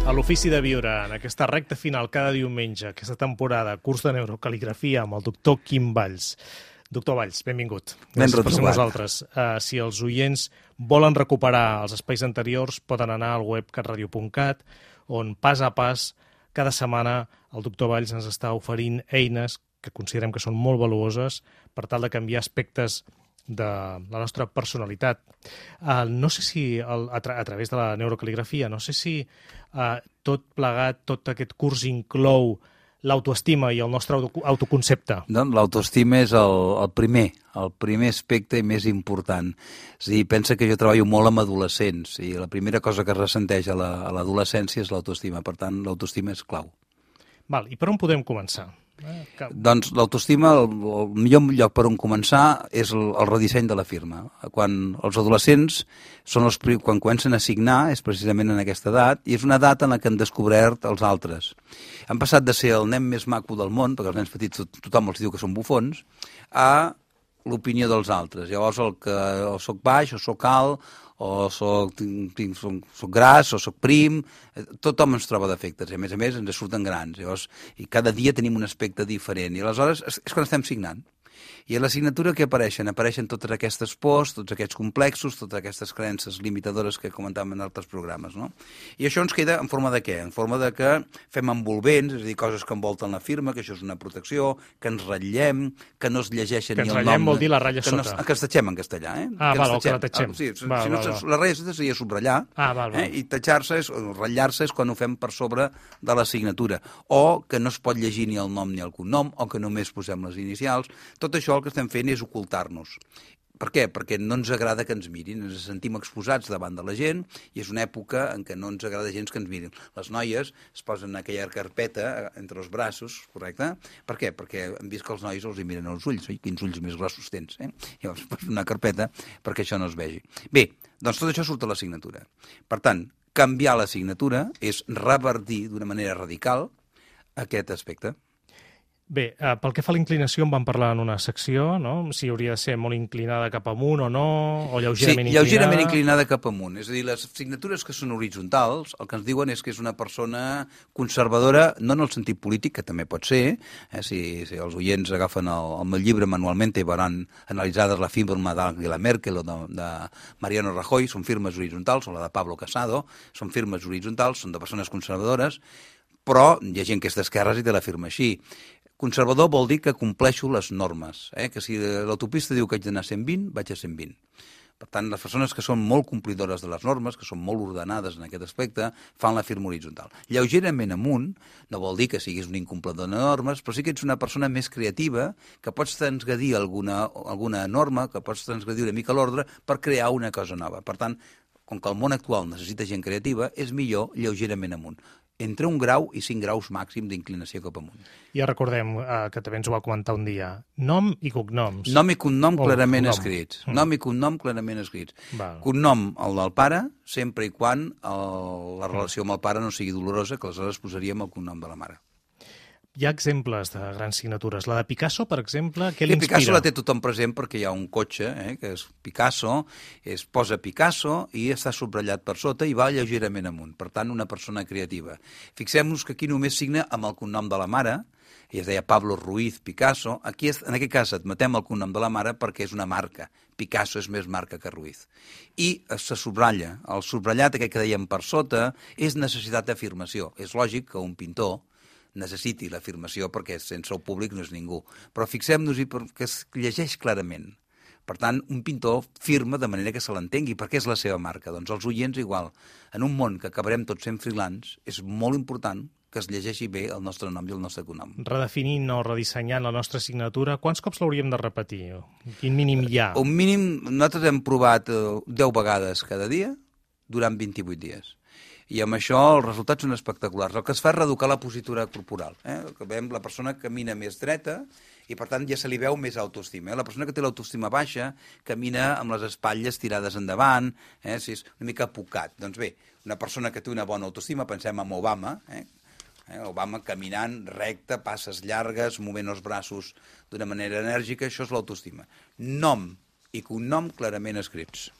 A l'Ofici de Viure, en aquesta recta final cada diumenge, aquesta temporada, curs de neurocaligrafia amb el doctor Quim Valls. Doctor Valls, benvingut. Gràcies per ser amb nosaltres. Si els oients volen recuperar els espais anteriors, poden anar al web catradio.cat, on pas a pas, cada setmana, el doctor Valls ens està oferint eines que considerem que són molt valuoses per tal de canviar aspectes de la nostra personalitat. No sé si, a través de la neurocaligrafia, no sé si tot plegat, tot aquest curs inclou l'autoestima i el nostre autoconcepte. Doncs l'autoestima és el primer aspecte i més important. És a dir, pensa que jo treballo molt amb adolescents i la primera cosa que es ressenteix a l'adolescència és l'autoestima. Per tant, l'autoestima és clau. Val, i per on podem començar? Doncs l'autoestima, el millor lloc per on començar és el redisseny de la firma. Quan els adolescents quan comencen a signar és precisament en aquesta edat, i és una edat en la que han descobert els altres. Han passat de ser el nen més maco del món, perquè els nens petits tothom els diu que són bufons, a l'opinió dels altres. Llavors o soc baix, o soc alt, o soc gras, o soc prim, tothom ens troba defectes, i a més ens surten grans, llavors, i cada dia tenim un aspecte diferent, i aleshores és quan estem signant. I a la signatura què apareixen? Apareixen totes aquestes pors, tots aquests complexos, totes aquestes creences limitadores que comentàvem en altres programes, no? I això ens queda en forma de què? En forma de que fem envolvents, és a dir, coses que envolten la firma, que això és una protecció, que ens ratllem, que no es llegeixen ni el nom... Que ens ratllem vol dir la ratlla sota. Que ens tatxem en castellà, eh? Que la tatxem. Sí, la ratlla sota seria subratllar, i tatxar-se, ratllar-se és quan ho fem per sobre de la signatura, o que no es pot llegir ni el nom ni el cognom, o que només posem les inicials. Tot això el que estem fent és ocultar-nos. Per què? Perquè no ens agrada que ens mirin, ens sentim exposats davant de la gent i és una època en què no ens agrada gens que ens mirin. Les noies es posen aquella carpeta entre els braços, correcte? Per què? Perquè hem vist que els nois els hi miren els ulls, oi? Quins ulls més grossos tens, eh? Llavors posen una carpeta perquè això no es vegi. Bé, doncs tot això surt a la signatura. Per tant, canviar la signatura és revertir d'una manera radical aquest aspecte. Bé, pel que fa a la inclinació en vam parlar en una secció, no? Si hauria de ser molt inclinada cap amunt o no, o lleugerament inclinada. Sí, lleugerament inclinada cap amunt. És a dir, les signatures que són horitzontals, el que ens diuen és que és una persona conservadora, no en el sentit polític, que també pot ser, si els oients agafen el meu llibre manualment i veuran analitzades la firma d'Angela Merkel o de Mariano Rajoy, són firmes horitzontals, o la de Pablo Casado, són firmes horitzontals, són de persones conservadores, però hi ha gent que és d'esquerres i te la firma així. Conservador vol dir que compleixo les normes, que si l'autopista diu que haig d'anar a 120, vaig a 120. Per tant, les persones que són molt complidores de les normes, que són molt ordenades en aquest aspecte, fan la firma horitzontal. Lleugerament amunt no vol dir que siguis un incomplidor de normes, però sí que ets una persona més creativa, que pots transgredir alguna norma, que pots transgredir una mica l'ordre per crear una cosa nova. Per tant, com que el món actual necessita gent creativa, és millor lleugerament amunt. Entre 1 grau i 5 graus màxim d'inclinació cap amunt. Ja recordem que també ens ho va comentar un dia. Nom i cognoms. Nom i cognom clarament escrits. Nom i cognom clarament escrits. Cognom, el del pare, sempre i quan la relació amb el pare no sigui dolorosa, que aleshores posaríem el cognom de la mare. Hi ha exemples de grans signatures. La de Picasso, per exemple, què l'inspira? Picasso la té tothom present perquè hi ha un cotxe, que és Picasso, es posa Picasso i està subratllat per sota i va lleugerament amunt. Per tant, una persona creativa. Fixem-nos que aquí només signa amb el cognom de la mare, i es deia Pablo Ruiz Picasso. Aquí, en aquest cas, admetem el cognom de la mare perquè és una marca. Picasso és més marca que Ruiz. I se subratlla. El subratllat, aquest que dèiem per sota, és necessitat d'afirmació. És lògic que un pintor necessiti l'afirmació perquè sense el públic no és ningú. Però fixem-nos-hi que es llegeix clarament. Per tant, un pintor firma de manera que se l'entengui, perquè és la seva marca. Doncs els oients igual. En un món que acabarem tots sent freelance, és molt important que es llegeixi bé el nostre nom i el nostre cognom. Redefinint o redissenyant la nostra signatura, quants cops l'hauríem de repetir? Quin mínim hi ha? Un mínim, nosaltres hem provat 10 vegades cada dia durant 28 dies. I amb això els resultats són espectaculars. El que es fa és reeducar la positura corporal. La persona camina més dreta i, per tant, ja se li veu més autoestima. La persona que té l'autoestima baixa camina amb les espatlles tirades endavant, si és una mica apocat. Doncs bé, una persona que té una bona autoestima, pensem en Obama, Obama caminant recte, passes llargues, movent els braços d'una manera enèrgica, això és l'autoestima. Nom i cognom clarament escrits.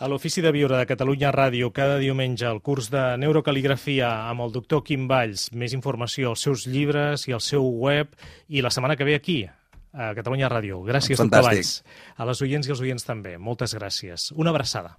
A l'Ofici de Viure de Catalunya Ràdio, cada diumenge, el curs de neurocaligrafia amb el doctor Quim Valls. Més informació als seus llibres i al seu web. I la setmana que ve aquí, a Catalunya Ràdio. Gràcies, doctor Valls. A les oients i els oients també. Moltes gràcies. Una abraçada.